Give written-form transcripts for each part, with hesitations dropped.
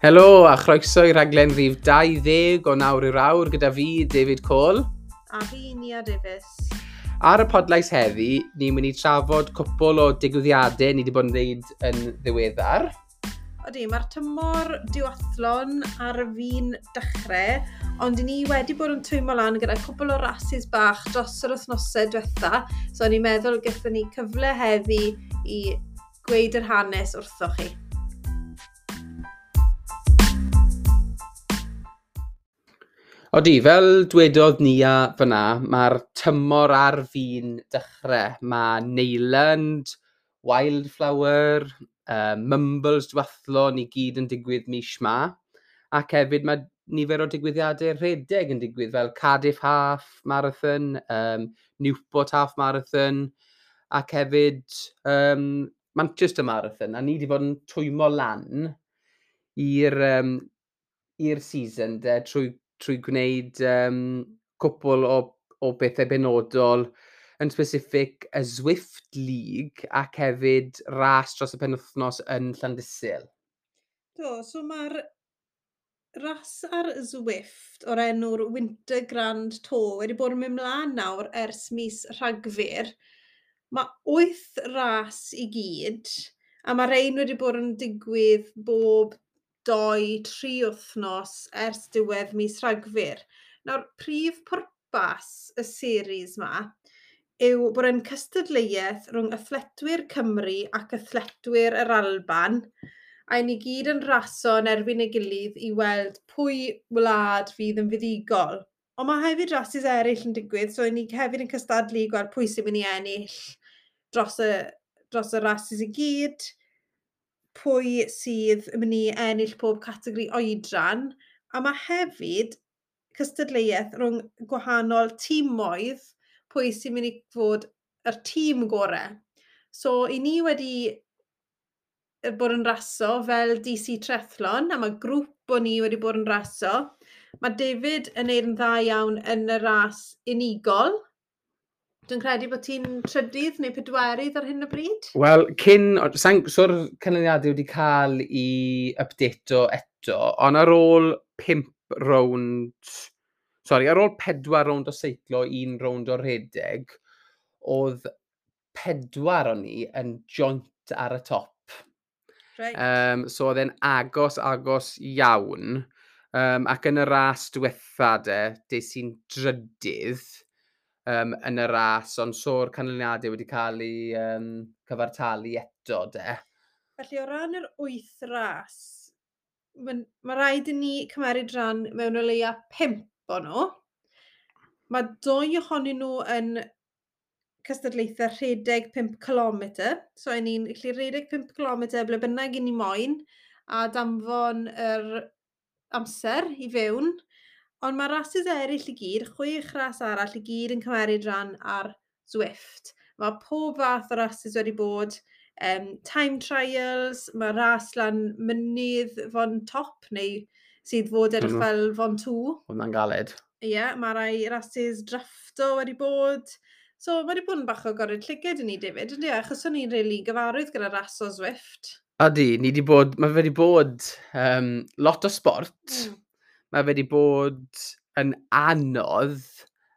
Helo a chroeso i raglen rhif 20 o Nawr i'r Awr gyda fi, David Cole. A fi, Nia Davies. Ar y podlais heddi, ni'n mynd i trafod cwpl o digwyddiadau ni wedi bod yn dweud yn ddiweddar. Odi, mae'r tymor duathlon ar fin dechrau, ond ni wedi bod yn twymo lan gyda cwpl o rasis bach dros yr wythnosau diwetha, so ni'n meddwl gyda ni cyfle heddi i gweud yr hanes wrthoch chi. Odi, fel dwedodd Nia fyna, mae'r tymor ar fin dechrau. Mae Neyland, Wildflower, Mumbles Duathlon i gyd yn digwydd mis ma. Ac hefyd mae nifer o digwyddiadau rhedeg yn digwydd fel Cardiff Half Marathon, Newport Half Marathon, ac hefyd Manchester Marathon. A ni wedi bod yn twymo lan i'r season de, trwy gwneud cwpl o bethau benodol, yn specific y Zwift League ac hefyd ras dros y penwythnos yn Llandysul. Do, so mae'r ras ar Zwift o'r enw'r Winter Grand Tour wedi bod yn mynd mlaen nawr ers mis Rhagfyr. Mae 8 ras i gyd, a mae rhain wedi bod yn digwydd bob 2-3 wythnos ers diwedd mis Rhagfyr. Nawr, prif pwrpas y series ma yw bod e'n cystadleuaeth rhwng athletwyr Cymru ac athletwyr yr Alban, a ni gyd yn raso yn erbyn ei gilydd i weld pwy wlad fydd yn fuddugol. Ond mae hefyd rasis eraill yn digwydd, so ni hefyd yn cystadlu i gweld pwy sy'n mynd i ennill dros y rasis i gyd, pwy sydd yn mynd i ennill pob categori oedran, a mae hefyd cystadleuaeth rhwng gwahanol tîmoedd, pwy sy'n mynd i fod yr tîm gorau. So, i ni wedi bod yn raso fel DC Triathlon, a mae grŵp o ni wedi bod yn raso. Mae David yn neud yn dda iawn yn y ras unigol. Dwi'n credu bod ti'n trydydd neu pedwerydd ar hyn o bryd? Wel, so'r canlyniadau wedi cael ei updateo eto, ond ar ôl 4 rownd o seiclo, 1 rownd o rhedeg, oedd 4 o'n ni yn joint ar y top. Right. So oedd e'n agos iawn. Ac yn y ras diwetha de, des i'n drydydd yn y ras, ond so'r canlyniadau wedi cael ei cyfartalu eto, de. Felly, o ran yr 8 ras, mae rhaid i ni cymeryd rhan mewn o leia 5 o nhw. Mae 2 ohonyn nhw yn cystadlaethau rhedeg 5 km. So, i ni'n gallu rhedeg 5 km ble bynnag i ni moyn a danfon yr amser i fewn. Ond mae rases eraill i gyd, 6 ras arall i gyd yn cymeryd rhan ar Zwift. Mae pob fath o rases wedi bod, time trials, mae ras lan mynydd Fon Top, neu sydd fod edrych fel Fon 2. Hwnna'n galed. Ie, yeah, mae rai rases drafto wedi bod. So, mae wedi bod yn bach o gorau llyged i ni, David, yndi? Achos o'n i'n rili gyfarwydd gyda ras o Zwift. Odi, ni wedi bod, mae wedi bod lot o sport. Mae wedi bod yn anodd,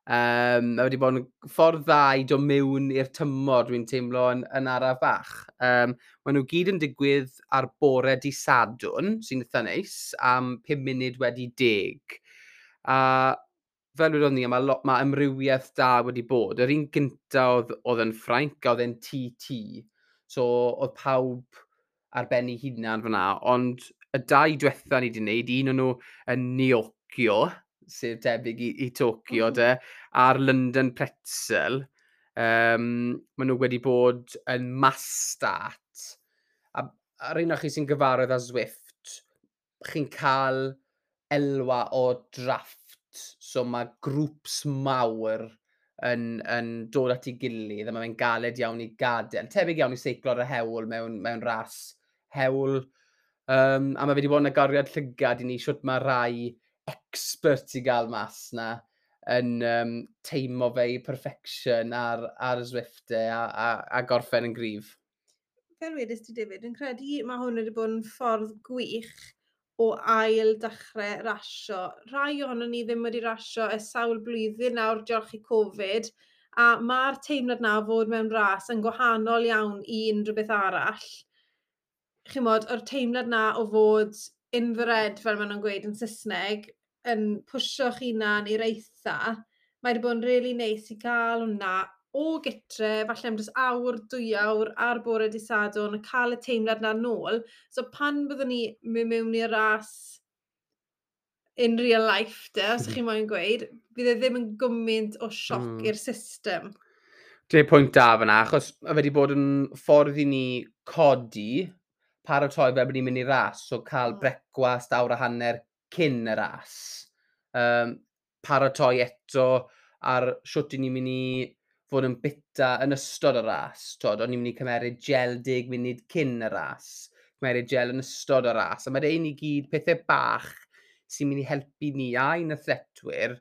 mae wedi bod yn ffordd dda i dod mewn i'r tymor, dwi'n teimlo yn araf bach. Maen nhw gyd yn digwydd ar bore dydd Sadwrn, sy'n eitha neis, am 10:05. A fel wedodd ni, mae amrywiaeth da wedi bod. Yr un gynta oedd yn Ffrainc, a oedd e'n TT, so oedd pawb ar ben ei hunan fyna, ond y 2 diwetha ni wedi wneud, un o'n nhw yn Neokyo, sef debyg i Tokyo, de, a'r London Pretzel, maen nhw wedi bod yn mass start. A ar un o chi sy'n gyfarwydd â Zwift, chi'n cael elwa o drafft, so mae grŵps mawr yn dod at ei gilydd, a mae'n galed iawn i gadael. Tebyg iawn i seiclo ar y hewl mewn ras hewl. A mae wedi bod yn agoriad llygad i ni shwt mae rai experts i gael mas na yn teimlo fe i perfection ar Zwift a gorffen yn gryf. Fel wedys ti, David, yn credu mae hwn wedi bod yn ffordd gwych o ail dechrau rasio. Rhai ohonon ni ddim wedi rasio ers sawl blwyddyn nawr diolch i Covid, a mae'r teimlad 'na o fod mewn ras yn gwahanol iawn i unrhyw beth arall. Chimod, o'r teimlad 'na o fod in the red, fel maen nhw'n gweud yn Saesneg, yn pwsio'ch hunan i'r eitha, mae wedi bod yn really neis i gael hwnna o gytre, falle am jyst awr, 2 awr ar bore dydd Sadwrn, a cael y teimlad 'na nôl. So pan byddwn ni mynd mewn i'r ras in real life, de, os ych chi moyn gweud, bydd e ddim yn gymaint o sioc i'r system. Dwi'n pwynt da fyna, achos mae wedi bod yn ffordd i ni codi, paratoi fel bod ni'n mynd i ras, so cael brecwast awr a hanner cyn y ras. Paratoi eto ar siwt i ni'n mynd i fod yn bita yn ystod y ras. Twod, o'n i'n mynd i cymeryd gel 10 munud cyn y ras, cymeryd gel yn ystod y ras. A mae rhain i gyd pethau bach sy'n mynd i helpu ni a'n athletwyr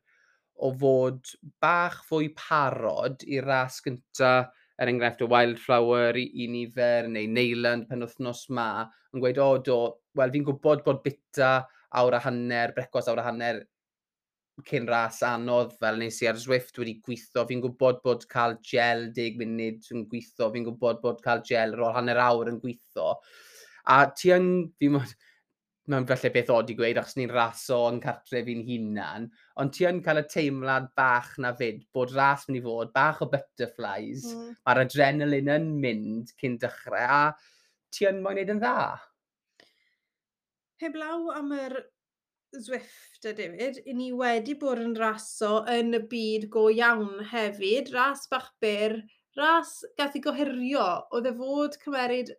o fod bach fwy parod i'r ras gynta, er enghraifft y Wildflower i nifer, neu Neyland penwythnos ma, yn gweud, "O do, wel fi'n gwybod bod bita awr a hanner, brecwast awr a hanner cyn ras anodd fel nes i ar Zwift wedi gweithio, fi'n gwybod bod cael gel 10 munud yn gweithio, fi'n gwybod bod cael gel ar ôl hanner awr yn gweithio." A ti yn, fi'n mod, mae'n falle beth od i gweud achos ni'n raso yn cartref i'n hunan, ond ti yn cael y teimlad bach na fyd, bod ras mynd i fod, bach o butterflies, mae'r adrenalin yn mynd cyn dechrau, a ti yn moyn neud yn dda. Heblaw am yr Zwift y David, i ni wedi bod yn raso yn y byd go iawn hefyd. Ras bach byr, ras gath ei gohirio, oedd e fod cymeryd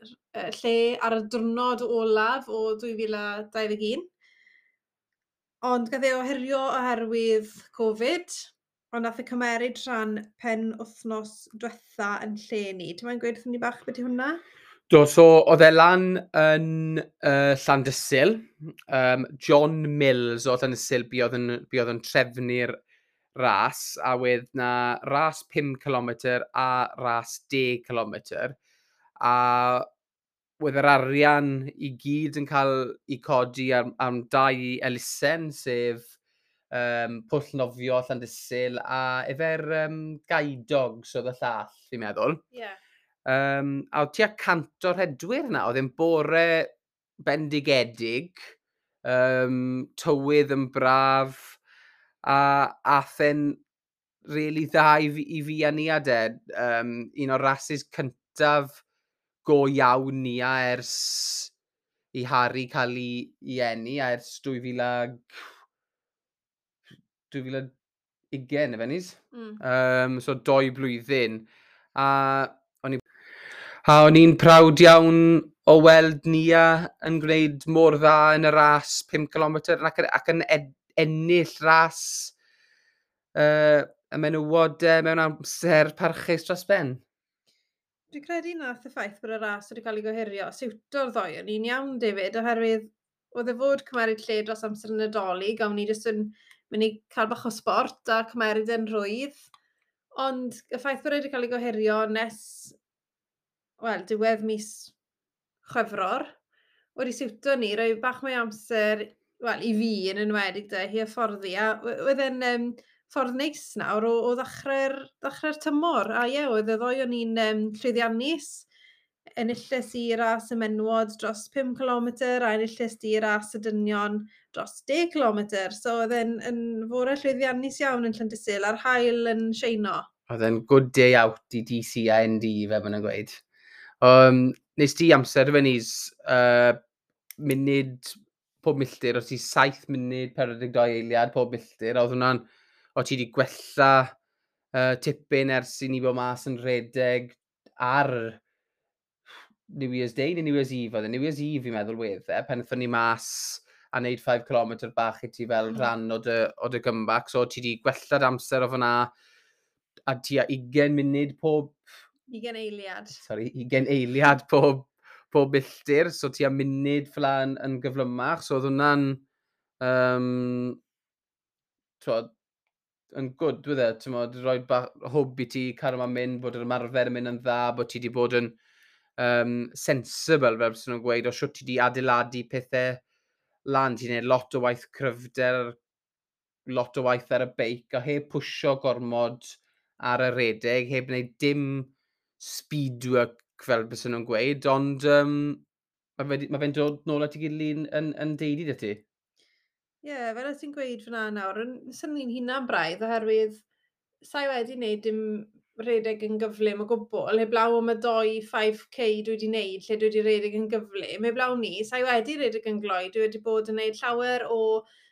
lle ar y diwrnod olaf o 2021. Ond gath ei ohirio oherwydd Covid, ond nath e cymeryd rhan pen wythnos diwetha yn lle ni. Ti'n moyn gweud wrthon ni bach beth yw hwnna? Do, so oedd e lan yn Llandysul. John Mills o Llandysul buodd yn trefnu'r ras, a wedd na ras 5 km a ras 10 km. A wedd yr arian i gyd yn cael ei codi am dau elusen, sef Pwll Nofio Llandysul a efo'r Guide Dogs oedd y llall, fi'n meddwl. A oedd tua 100 o rhedwyr 'na, oedd e'n bore bendigedig, tywydd yn braf, a ath e'n really dda i fi a Nia de. Un o'r rases cyntaf go iawn Nia ers i Harry cael ei eni, a ers 2000 a 2020, efe nis? Mm. So 2 blwyddyn. A o'n i'n proud iawn o weld Nia yn gwneud mor dda yn y ras 5 km ac yn ennill ras y menywod mewn amser parchus dros ben. Dwi'n credu nath y ffaith bod y ras wedi cael ei gohirio siwto'r ddoi o'n i'n iawn, David, oherwydd oedd e fod cymeryd lle dros amser yn Nadolig, a o'n i jyst yn mynd i cael bach o sport a cymeryd yn rhwydd. Ond y ffaith bod e wedi cael ei gohirio nes, wel, diwedd mis Chwefror, wedi siwto ni, rhoi bach mwy o amser, wel, i fi yn enwedig de, i hyfforddi, a oedd e'n ffordd neis nawr o ddechrau'r tymor. A ie, oedd y ddoi o'n i'n llwyddiannus. Enilles i ras y menwod dros 5 km a enilles di ras y dynion dros 10 km. So oedd e'n yn fore llwyddiannus iawn yn Llandysul a'r haul yn sheino. Oedd e'n good day out i DC a ND, fe maen nhw'n gweud. Nes ti amser fe nis, munud pob milltir, oedd ti 7 munud 42 eiliad pob milltir, a oedd hwnna'n, o ti wedi gwella tipyn ers i ni bod mas yn rhedeg ar New Year's Day neu New Year's Eve, oedd e New Year's Eve fi'n meddwl wedd e, pan aethon ni mas a wneud 5 km bach i ti fel rhan o dy comeback, so ti wedi gwella'r amser o fyna a tua 20 munud pob 20 eiliad. Sorry, 20 eiliad pob milltir, so tua munud fel yn gyflymach, so oedd hwnna'n t'wod, yn good, dwi e, ti'n rhoi hwb i ti, cario ma'n mynd, bod yr ymarfer yn mynd yn dda, bod ti wedi bod yn sensible, fel sy'n nhw'n gweud, o siwt ti wedi adeiladu pethau. lan. Ti'n gwneud lot o waith cryfder, lot o waith ar y beic, a heb pwysio gormod ar y redeg, heb wneud dim speed work fel bys nhw'n gweud, ond mae fe'n dod nôl at ei gilydd yn deulu 'da ti. Ie, yeah, fel ti'n gweud fyna nawr, yn synnu'n hunan braidd, oherwydd sa'i wedi wneud dim redeg yn gyflym o gwbl, heblaw am y doi 5K dwi wedi wneud, lle dwi wedi redeg yn gyflym, heblaw ni, sa'i wedi redeg yn gloi, dwi wedi bod yn wneud llawer o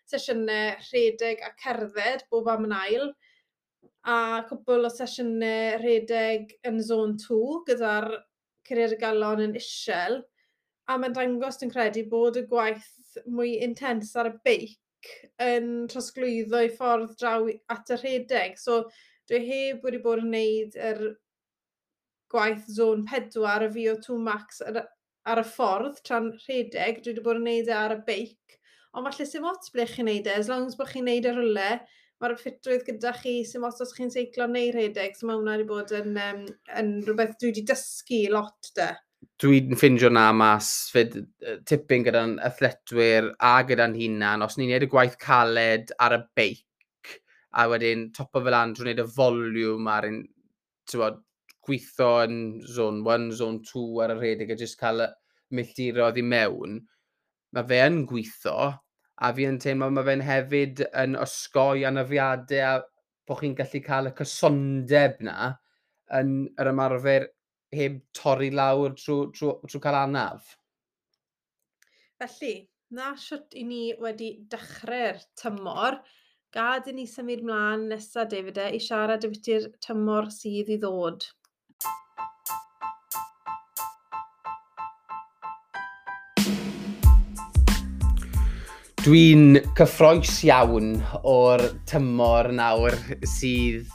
sesiynau rhedeg a cerdded bob am yn ail, a cwpl o sesiynau rhedeg yn zone 2 gyda'r curiad y galon yn isel, a mae'n dangos, dwi'n credu, bod y gwaith mwy intense ar y beic yn trosglwyddo i ffordd draw at y rhedeg. So dwi heb wedi bod yn gwneud yr gwaith zone 4, y VO2 max ar y ffordd tra'n rhedeg. Dwi wedi bod yn gwneud e ar y beic. Ond falle sim ots ble chi'n gwneud e, as long as bod chi'n gwneud e rhywle, mae'r ffitrwydd gyda chi, sim ots os chi'n seiclo neu rhedeg, so mae hwnna wedi bod yn rhywbeth dwi wedi dysgu lot de. Dwi'n ffindio na mas fyd tipyn gyda'n athletwyr a gyda'n hunan, os ni'n neud y gwaith caled ar y beic, a wedyn topo fel lan drwy wneud y volume ar un, t'wod, gweithio yn zone 1, zone 2 ar y rhedeg a jyst cael y milltiroedd i mewn, mae fe yn gweithio, a fi yn teimlo mae fe'n hefyd yn osgoi anafiadau a bod chi'n gallu cael y cysondeb na yn yr ymarfer heb torri lawr trwy cael anaf. Felly, na shwt i ni wedi dechrau'r tymor. Gad i ni symud mlaen nesaf, David, i siarad ambiti'r tymor sydd i ddod. Dwi'n cyffroes iawn o'r tymor nawr sydd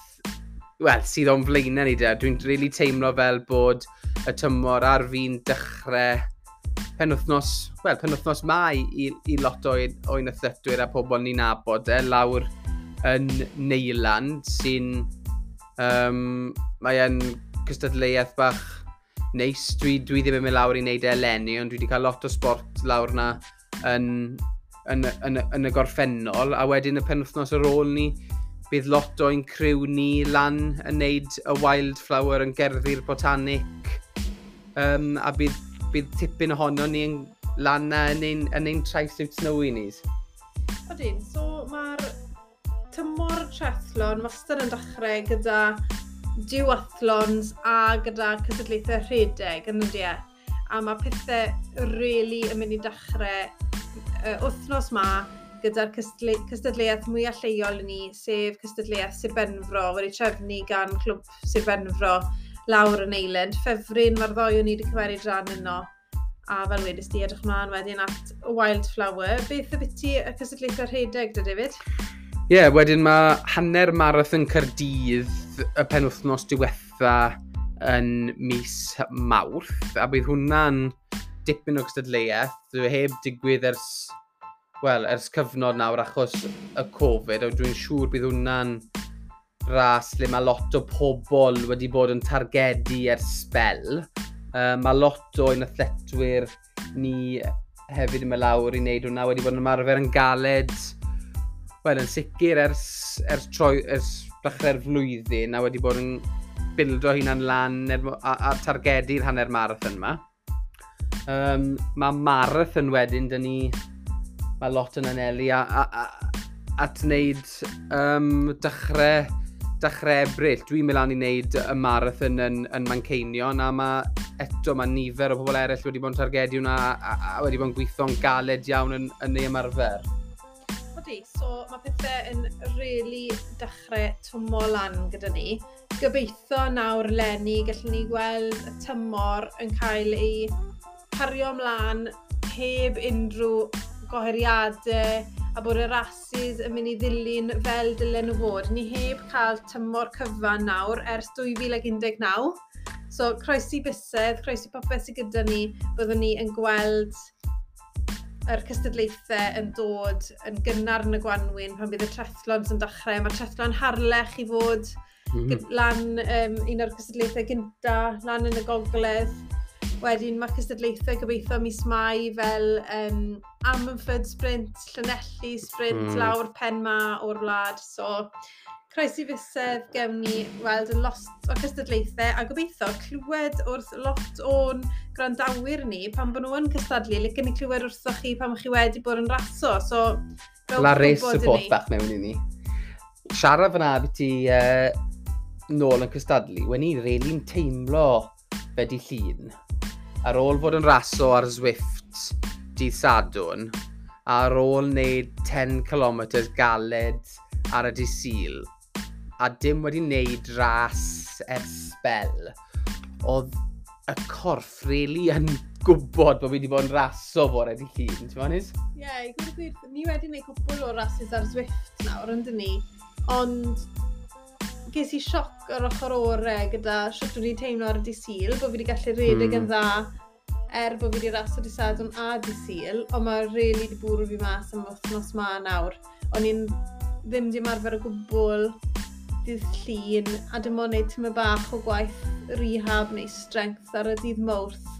o'n flaenau ni de. Dwi'n really teimlo fel bod y tymor ar fin dechrau penwythnos mai i lot o'n athletwyr a pobl ni'n nabod e, lawr yn Neyland, mae e'n cystadleuaeth bach neis. Dwi ddim yn mynd lawr i wneud e eleni, ond dwi wedi cael lot o sport lawr na yn y gorffennol, a wedyn y penwythnos ar ôl ni, bydd lot o'n criw ni lan yn neud y Wildflower yn gerddi'r Botanic, a bydd tipyn ohono ni yn lan na yn ein tri-suit snowy ni. Odyn, so mae'r tymor triathlon wastad yn dechrau gyda duathlons a gyda cystadlaethau rhedeg yn ydy e. A mae pethau really yn mynd i dechrau wythnos ma gyda'r cystadleuaeth mwyaf lleol i ni, sef cystadleuaeth Sir Benfro, wedi trefnu gan Clwb Sir Benfro lawr yn Neyland. Ffefryn, mae'r ddoi o'n ni wedi cymeryd rhan yno. A fel wedys di, edrych mlaen wedyn at Wildflower. Beth ybyti y cystadlaethau rhedeg da, David? Ie, yeah, wedyn mae hanner marathon Caerdydd y penwythnos diwetha yn mis Mawrth, a bydd hwnna'n dipyn o gystadleuaeth. Dwi heb digwydd ers cyfnod nawr achos y Covid, a dwi'n siŵr bydd hwnna'n ras lle mae lot o pobl wedi bod yn targedu ers sbel. Mae lot o'n athletwyr ni hefyd yn mynd lawr i wneud hwnna, wedi bod yn ymarfer yn galed, wel, yn sicr ers dechrau'r flwyddyn, a wedi bod yn bildo hunan lan a targedu'r hanner marathon yma. Mae marathon wedyn, dyn ni, mae lot yn anelu at wneud dechrau Ebrill. Dwi'n mynd lan i wneud y marathon yn Manceinion, a eto mae nifer o bobl eraill wedi bod yn targedu hwnna a wedi bod yn gweithio'n galed iawn yn ei ymarfer. Odi, so mae pethau yn really dechrau twmo lan gyda ni. Gobeithio nawr leni gallwn ni gweld y tymor yn cael ei cario ymlaen heb unrhyw gohiriadau a bod y rasis yn mynd i ddilyn fel dylen nhw fod. Ni heb cael tymor cyfan nawr ers 2019. So, croesi bysedd, croesi popeth sydd gyda ni, byddwn ni yn gweld yr cystadlaethau yn dod yn gynnar yn y gwanwyn pan bydd y triathlons yn dechrau. Mae triathlon Harlech i fod lan un o'r cystadlaethau gynta, lan yn y gogledd. Wedyn mae cystadlaethau gobeithio mis Mai fel Ammanford Sprint, Llanelli Sprint, lawr pen ma o'r wlad. So, croesi fysedd gewn ni weld y lot o cystadlaethau a gobeithio clywed wrth lot o'n gwrandawyr ni pan bod nhw yn cystadlu. Licen ni clywed wrthoch chi pan chi wedi bod yn raso. So, rhowch La race gwybod i support ni. bach mewn i ni. Siarad fyna beth ti nôl yn cystadlu, wen i'n really'n teimlo fe di Llun. Ar ôl fod yn raso ar Zwift dydd Sadwrn, ar ôl wneud 10 km galed ar y dydd Sul, a dim wedi wneud ras ers sbel, oedd y corff really yn gwybod bod fi wedi bod yn raso fore dydd Llun, ti'n meddwl, Nis? Ie, yeah, i gweud y gwir, ni wedi gwneud cwpl o rases ar Zwift nawr, yn dyn ni, ond ges i sioc ar ochr ore gyda sut wedi teimlo ar y dydd Sul, bod fi wedi gallu redeg yn dda er bod fi wedi raso dydd Sadwrn a dydd Sul, ond mae really wedi bwrw fi mas am wythnos ma nawr. O'n i'n ddim di ymarfer o gwbl dydd Llun, a dim ond wneud tyma bach o gwaith rehab neu strength ar y dydd Mawrth.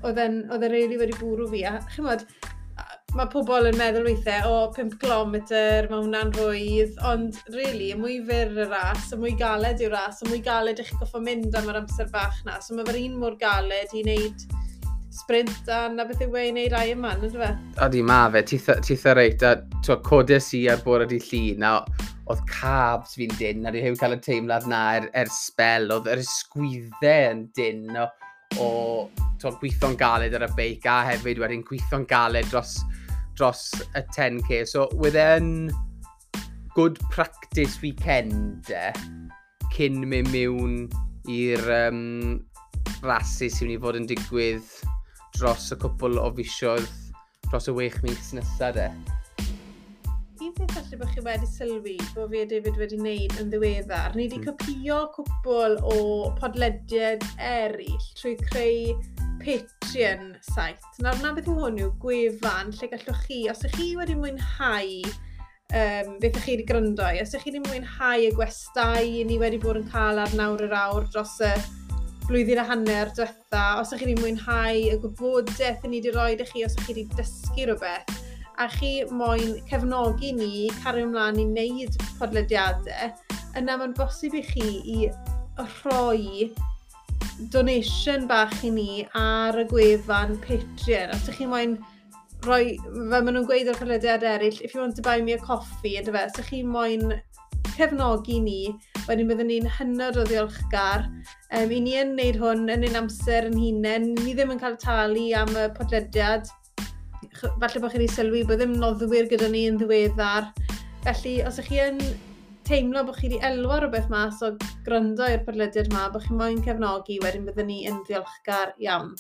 Oedd e'n really wedi bwrw fi. A chimod, mae pobl yn meddwl weithiau, o, 5 km, mae hwnna'n rhwydd, ond really, y mwy fyr y ras, y mwy galed yw'r ras, y mwy galed ych chi'n goffo mynd am yr amser bach na. So mae fe'r un mor galed i wneud sprint a na beth yw e i wneud Ironman, ynddo fe? Odi, ma fe, titha reit, a t'wo, codes i ar bore dydd Llun, a oedd calves fi'n dyn, a di heb cael y teimlad na er sbel, oedd yr ysgwyddau yn dyn o t'wo, gweithio'n galed ar y beic, a hefyd wedyn gweithio'n galed dros y 10K. So, wedd e'n good practice weekend e, cyn mynd mewn i'r rhasys sy'n mynd i fod yn digwydd dros y cwpl o fisoedd, dros y 6 mis nesaf de. Un peth falle bod chi wedi sylwi bod fi a David wedi wneud yn ddiweddar, ni wedi copio cwpl o podlediad eraill trwy creu Patreon site. Nawr, na beth yw hwn yw gwefan lle gallwch chi, os ydych chi wedi mwynhau beth ych chi wedi gryndo i, os ydych chi wedi mwynhau y gwestai ni wedi bod yn cael ar Nawr yr Awr dros y blwyddyn a hanner diwetha, os ydych chi wedi mwynhau y gwybodaeth ni wedi rhoi i chi, os ydych chi wedi dysgu rhywbeth, a chi moyn cefnogi ni, cario ymlaen i wneud podlediadau, yna mae'n bosib i chi i rhoi donation bach i ni ar y gwefan Patreon. Os ydych chi moyn rhoi, fel maen nhw'n gweud ar podlediad eraill, "If you want to buy me a coffee", yndyfe, os ydych chi moyn cefnogi ni, wedyn byddwn ni'n hynod o ddiolchgar. I ni yn wneud hwn yn ein amser yn hunain, ni ddim yn cael talu am y podlediad. Falle bod chi wedi sylwi bod ddim noddwyr gyda ni yn ddiweddar. Felly, os ydych chi yn teimlo bod chi wedi elwa rhywbeth mas o gryndo i'r podlediad yma, bod chi moyn cefnogi, wedyn byddwn ni yn ddiolchgar iawn.